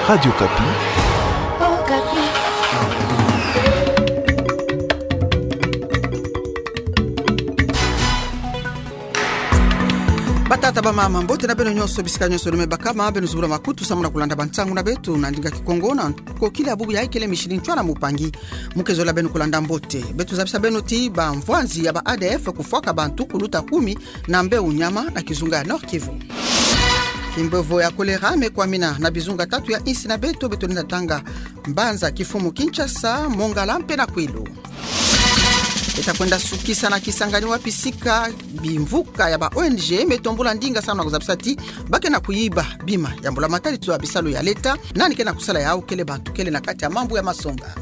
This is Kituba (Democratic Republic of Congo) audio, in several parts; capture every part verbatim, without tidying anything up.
Radio Okapi. Batata, bamama, mbote na beno nyonso bisika nyonso lumebakama, beno zibula makutu samu na kulanda bansangu na beto na ndinga Kikongo na nkokila bubu ya ikele Micheline Ntsoila Mpangi. Mu ke zola beno kulanda mbote, beto zabisa beno ti bamvwanzi ya ba A D F kufwaka bantu kuluta kumi na mbeu nyama na kizunga ya Nord-Kivu. Kimbevo ya kolera me kwamina na bizunga tatu ya insi na beto, beto lenda tanga mbanza kifumu Kinshasa, Mongala mpe na Kwilu. Beta kwenda sukisa na Kisangani wapi sika bimvuka ya ba O N G me tombula ndinga samu na kuzabisa ti ba ke na kuyiba bima ya mbula matadi to ya bisalu ya leta, nani ke na kusala yau kele bantu kele na kati ya mambu ya masonga.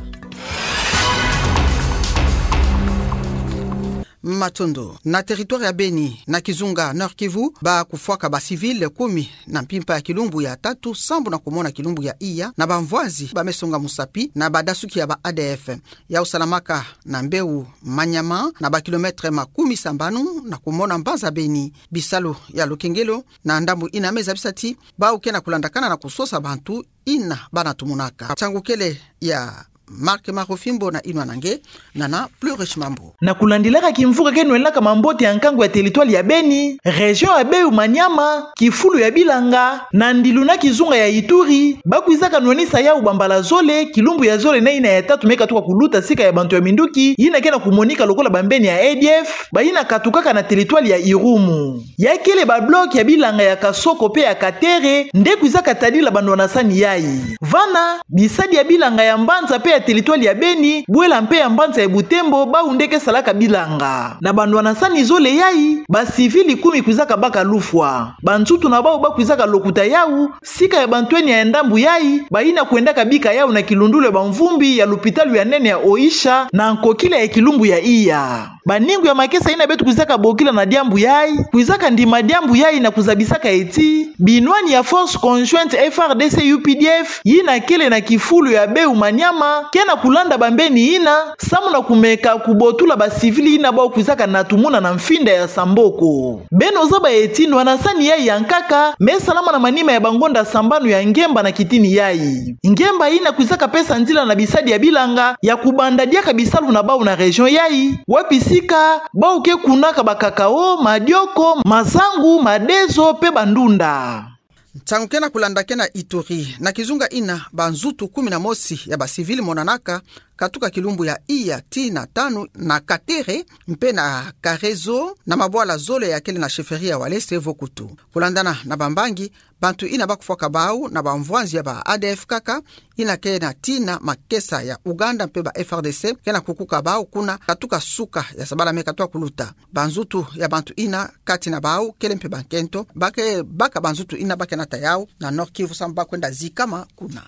Matondo. Na territoire ya Beni, na kizunga Nord-Kivu, ba kufwaka ba civil kumi na mpimpa ya kilumbu ya tatu, sambu na kumona kilumbu ya iya, na bamvwanzi ba me songa musapi na badasuki ya ba A D F. Yau salamaka na mbeu Maniama, na ba kilomètre makumi sambanu na kumona mbanza Beni. Bisalu ya lukengelo na ndambu ina me zabisa ti bau ke na kulandakana na kusosa bantu ina ba na tumunaka. Nsangu kele ya Marc Marofimbo na inwa na nge, nana Plurish Mambu. Na kulandilaka kimvuka ke nwelaka mambote ya nkangu ya territoire ya Beni, région ya beu Maniama, kifulu ya bilanga, na ndilu na kizunga ya Ituri, ba kwizaka nwenisa yau bambala zole, kilumbu ya zole na ina ya tatu me katuka kuluta sika ya bantu ya minduki ina ke na kumonika lokola bambeni ya A D F, ba ina katukaka na territoire ya Irumu. Ya kele ba bloc ya bilanga ya Kasoko mpe ya Katere nde kwizaka tadila banwanasani yai. Vana, bisadi ya bilanga ya mbanza mpe ya territoire ya Beni, bwela mpe ya mbanza ya Butembo, bau nde ke salaka bilanga. Na banwanasani zole yai, ba civil kumi kwizaka baka lufwa. Banzutu na bau ba kwizaka lokuta yau, sika ya bantwenia ya ndambu yai, ba ina kwendaka bika yau na kilundulu ya bamvumbi ya lupitalu ya nene ya Oicha, na nkokila ya kilumbu ya iya. Baningu ya makesa ina beto kwizaka bokila na diambu yai, kwizaka ndima diambu yai na kuzabisaka ti binwani ya Force Conjointe F R D C U P D F, ina kele na kifulu ya beu Maniama, ke na kulanda bambeni ina, samu na kumeka kubotula ba civil ina bau kwizaka natumuna na mfinda ya Samboko. Beno zaba ti nwanasani yai ya nkaka, me salama na manima ya bangonda sambanu ya ngemba na kitini yai. Ngemba ina kwizaka pesa nzila na bisadi ya bilanga ya kubanda diaka bisalu na bau na région yai, wapi sika bau ke kunaka ba cacao, madioko, masangu, madezo, mpe bandunda. Nsangu ke na kulanda ke na Ituri, na kizunga ina banzutu kumi na mosi ya ba civil monanaka, katuka kilumbu ya iya tii na tanu na Katere, mpe na Karezo, na mabwala zole ya kele na chefferie ya Walese vo kutu. Kulandana na bambangi, bantu ina ba kufwaka bau na bamvwanzi ya ba A D F kaka, ina ke na tina makesa ya Uganda mpe ba F R D C, ke na kukuka bau kuna, katuka suka ya sabala me katuka kuluta. Banzutu ya bantu ina, kati na bau kele mpe bankento, ba ke baka banzutu ina ba ke nata yau na Nord-Kivu samu ba kwenda zikama kuna.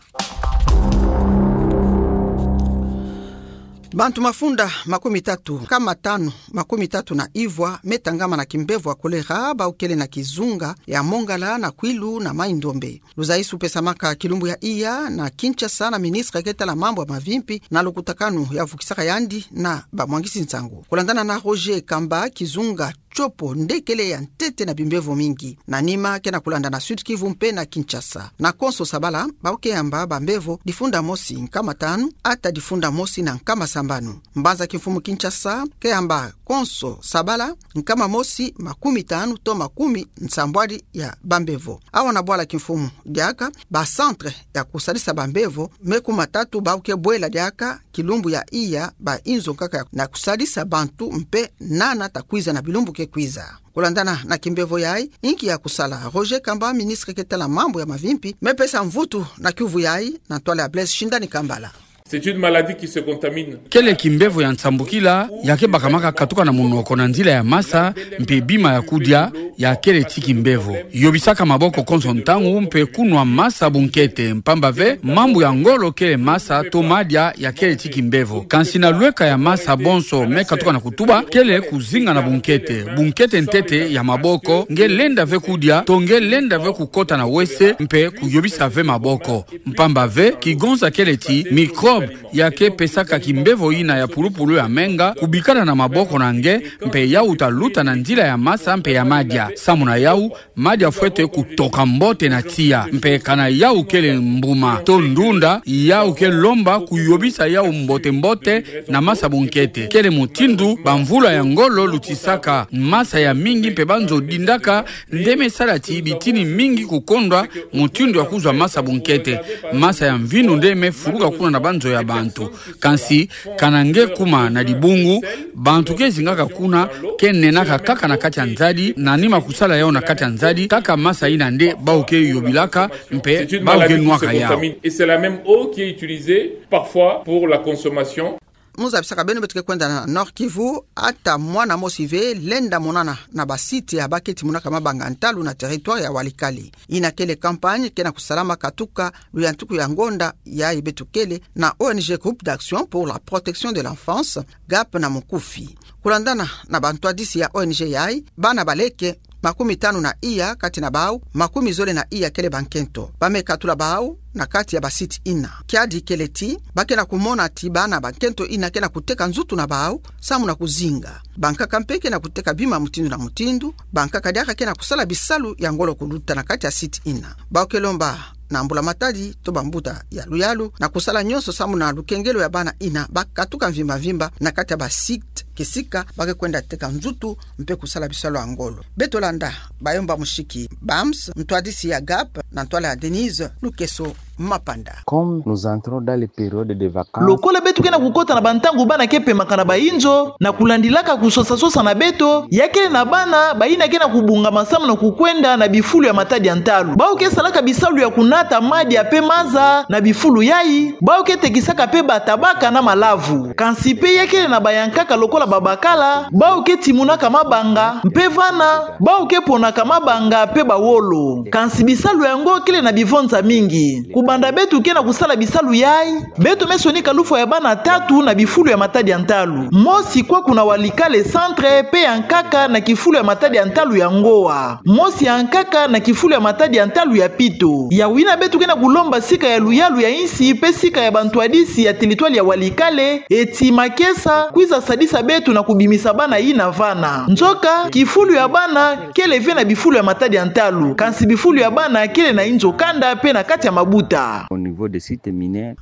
Bantu mafunda makumi tatu, nkama tanu makumi tatu na ivwa me tangama na kimbevo ya kolera, bau kele na kizunga ya Mongala, na Kwilu, na Mai-Ndombe. Luzaisu pesamaka kilumbu ya iya na Kinshasa na ministre ke tala mambu ya mavimpi na lukutakanu ya vukisaka yandi na bamwangisi nsangu. Kulandana na Roger Kamba, kizunga Tshopo nde kele ya ntete na bimbevo mingi. Na nima ke na kulanda na Sud-Kivu mpe na Kinshasa. Na konso sabala, bau ke yamba bambevo difunda mosi nkama tanu ata difunda mosi na nkama sambanu. Mbanza kimfumu Kinshasa ke yamba konso sabala nkama mosi makumi tanu to makumi nsambwadi ya bambevo. Awa na bwala kimfumu diaka, ba centre ya kusadisa bambevo me kumi na tatu bau ke bwela diaka kilumbu ya iya, ba inzo nkaka ya na kusadisa bantu mpe nana ta kwiza na bilumbu ke kwiza. Kulandana na kimbevo yai, inki ya kusala? Roger Kamba, ministre ke tala mambu ya mavimpi, me pesa mvutu na kiuvu yai na ntwala ya Blaise Shindani Kambala. C'est une maladie qui se contamine. Kele kimbevo ya nsambukila, ya ke bakamaka katuka na munoko na nzila ya masa, mpe bima ya kudia, ya kele ti kimbevo. Yobisaka maboko konso ntangu mpe kunwa masa bunkete, mpamba ve mambu ya ngolo kele masa to madia ya kele ti kimbevo. Kansi na lweka ya masa bonso me katuka na kutuba, kele kuzinga na bunkete. Bunkete ntete ya maboko, nge lenda ve kudia, to nge lenda ve kukota na wese, mpe kuyobisa ve maboko. Mpamba ve, kigonza kele ti micro ya ke pesaka kimbevo ina ya pulupulu ya menga kubikana na maboko na nge, mpe yau ta luta na nzila ya masa mpe ya madia. Samu na yau, madia fwete kutoka mbote na tiya. Mpe kana yau kele mbuma to ndunda, yau ke lomba kuyobisa yau mbote-mbote na masa bunkete. Kele mutindu bamvula ya ngolo lutisaka masa ya mingi mpe banzo dindaka nde me sala ti bitini mingi kukondwa mutindu ya kuzwa masa bunkete. Masa ya mvindu nde me fuluka kuna na banzo ya bantu. Kansi, kana nge kuma na dibungu, bantu ke zingaka kuna ke nenaka kaka na kati ya nzadi, na nima kusala yau na kati ya nzadi, kaka masa ina nde bau ke yobilaka, mpe bau ke nwaka yau. C'est une maladie qui se contamine. Et c'est la même eau qui est utilisée parfois pour la consommation. Mu zabisaka beno beto ke kwenda na Nord-Kivu, ata mwana mosi ve lenda monana na ba site ya ba ke timunaka mabanga ntalu na territoire ya Walikale. Ina kele campagne ke na kusalama katuka luyantuku ya ngonda yayi beto kele na O N G Groupe d'Action pour la Protection de l'Enfance, GAP na mukufi. Kulandana na bantwadisi ya O N G yayi, bana baleke makumi tanu na iya, kati na bau makumi zole na iya kele bankento. Ba me katula bau na kati ya ba site ina. Kiadi kele ti ba ke na kumona ti bana bankento ina ke na kuteka nzutu na bau samu na kuzinga. Bankaka mpe ke na kuteka bima mutindu na mutindu, bankaka diaka ke na kusala bisalu ya ngolo kuluta na kati ya site ina. Bau ke lomba na mbula matadi to bambuta ya luyalu na kusala nyonso samu na lukengelo ya bana ina ba katuka mvimba-mvimba na kati ya ba site kisika ba ke kwenda teka nzutu mpe kusala bisalu ya ngolo. Beto landa Bayomba Mushiki Bams, ntwadisi ya GAP, na ntwala ya Denise Lukeso Mapanda. Comme nous entrons dans les périodes de vacances. Lokola beto ke na kukota na bantangu bana ke pemaka na bainzo, na kulandilaka kusosa-sosa na beto, ya kele na bana bayina ke na kubungama samu na kukwenda na bifulu ya matadi ya ntalu. Bau ke salaka bisalu ya kunata madia mpe maza na bifulu yayi, bau ke tekisaka mpe batabaka na malavu. Kansi mpe ya kele na bayankaka lokola babakala, bau ke timunaka mabanga, mpe vana, bau ke ponaka mabanga mpe bawolo. Kansi bisalu yango kele na bivonza mingi. Kubanda beto ke na kusala bisalu yayi, beto me sonika lufwa ya bana tatu na bifulu ya matadi ya ntalu. Mosi kwaku na Walikale Centre, mpe ya nkaka na kifulu ya matadi ya ntalu ya Ngoa. Mosi ya nkaka na kifulu ya matadi ya ntalu ya Pito. Yawina beto ke na kulomba sika ya luyalu ya insi mpe sika ya bantwadisi ya territoire ya Walikale, eti makesa kwiza sadisa beto na kubimisa bana yina vana. Nzoka, kifulu ya bana kele ve na bifulu ya matadi ya ntalu, kansi bifulu ya bana kele na inzo kanda mpe na kati ya mabuta. Au niveau des sites miniers.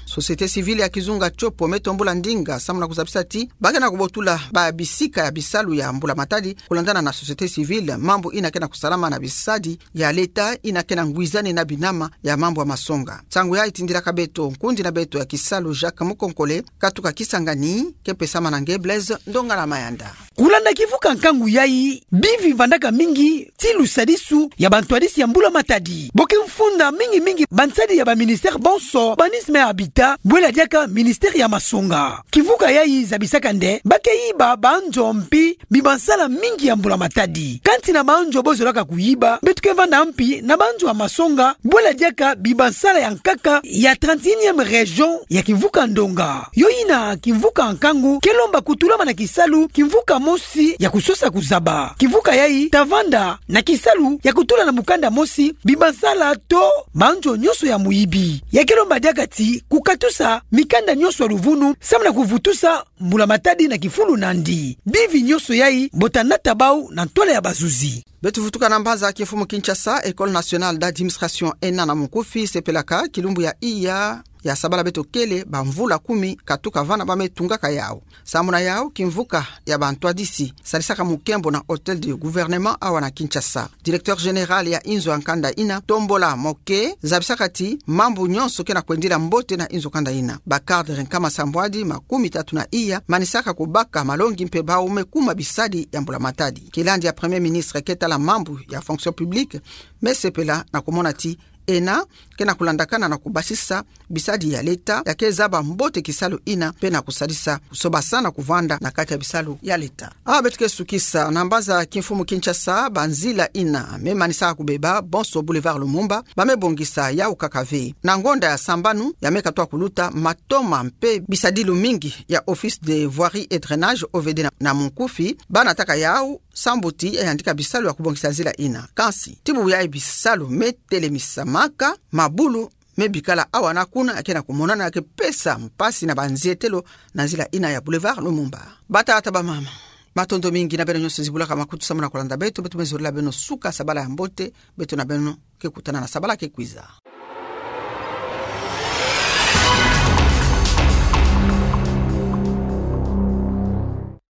Société civile ya kizunga Tshopo me tombula ndinga samu na kuzabisa ti ba ke na kubotula ba bisika ya bisalu ya mbula matadi. Kulandana na société civile, mambu ina ke na kusalama na bisadi ya leta ina ke na ngwizani na binama ya mambu ya masonga. Nsangu yayi tindilaka beto nkundi na beto ya kisalu Jacques Mukonkole, katuka Kisangani, ke pesama na nge Blaise Ndongala Mayanda. Kulanda kivuka nkangu yayi, bivi vandaka mingi ti lusadisu ya bantwadisi ya mbula matadi. Bo ke mfunda mingi-mingi bansadi ya ba ministère bonso, urbanisme et habitat, bwela diaka ministère ya masonga. Kivuka yayi zabisaka nde ba ke yiba banzo mpi bibansala mingi ya mbula matadi. Kansi na banzo bo zolaka kuyiba, beto ke vanda mpi na banzo ya masonga, bwela diaka bibansala ya nkaka ya trente et unième région ya kivuka ndonga. Yo yina kivuka nkangu ke lomba kutulama na kisalu kivuka mosi ya kusosa kuzaba. Kivuka yayi ta vanda na kisalu ya kutula na mukanda mosi bibansala to banzo nyonso ya muyibi. Ya ke lomba diaka ti kukatusa mikanda nyonso ya luvunu samu na kuvutusa mbula matadi na kifulu nandi. Bivi nyonso yayi bo ta nata bau na ntwala ya bazuzi. Beto vutuka na mbanza kimfumu Kinshasa, École nationale d'administration, ENA na mukufi, sepelaka kilumbu ya iya ya sabala beto kele, bamvula kumi katuka vana ba me tungaka yau. Samu na yau, kimvuka ya bantwadisi sadisaka mukembo na Hôtel du Gouvernement awa na Kinshasa. Directeur général ya inzo ya nkanda ina, Tombola Moke, zabisaka ti mambu nyonso ke na kwendila mbote na inzo kanda ina. Ba cadre nkama sambwadi makumi tatu na iya manisaka kubaka malongi mpe bau me kuma bisadi ya mbula matadi. Kilandi ya Premier ministre ke tala mambu ya fonction publique me sepela na kumona ti ENA ke na kulandakana na kubasisa bisadi ya leta ya ke zaba mbote kisalu ina mpe na kusadisa kusobasana kuvanda na kati ya bisalu ya leta. Awa beto ke sukisa. Na mbanza kimfumu Kinshasa, banzila ina me manisaka kubeba, bonso Boulevard Lumumba, ba me bongisa yau kaka ve. Na ngonda ya sambanu ya me katwa kuluta, matoma mpe bisadilu mingi ya Office de Voirie et Drainage, O V D na, na mukufi, ba nataka yau sambu ti ya yandika bisalu ya kubongisa nzila ina. Kansi ti bubu yayi bisalu me telemisamaka, mabulu me bikala awa na kuna, ke na kumonana ke pesa mpasi na banzietelo na nzila ina ya Boulevard Lumumba. Batata, bamama, matondo mingi na beno nyonso zibulaka makutu samu na kulanda beto, beto me zolila beno suka sabala ya mbote, beto na beno ke kutana na sabala ke kwiza.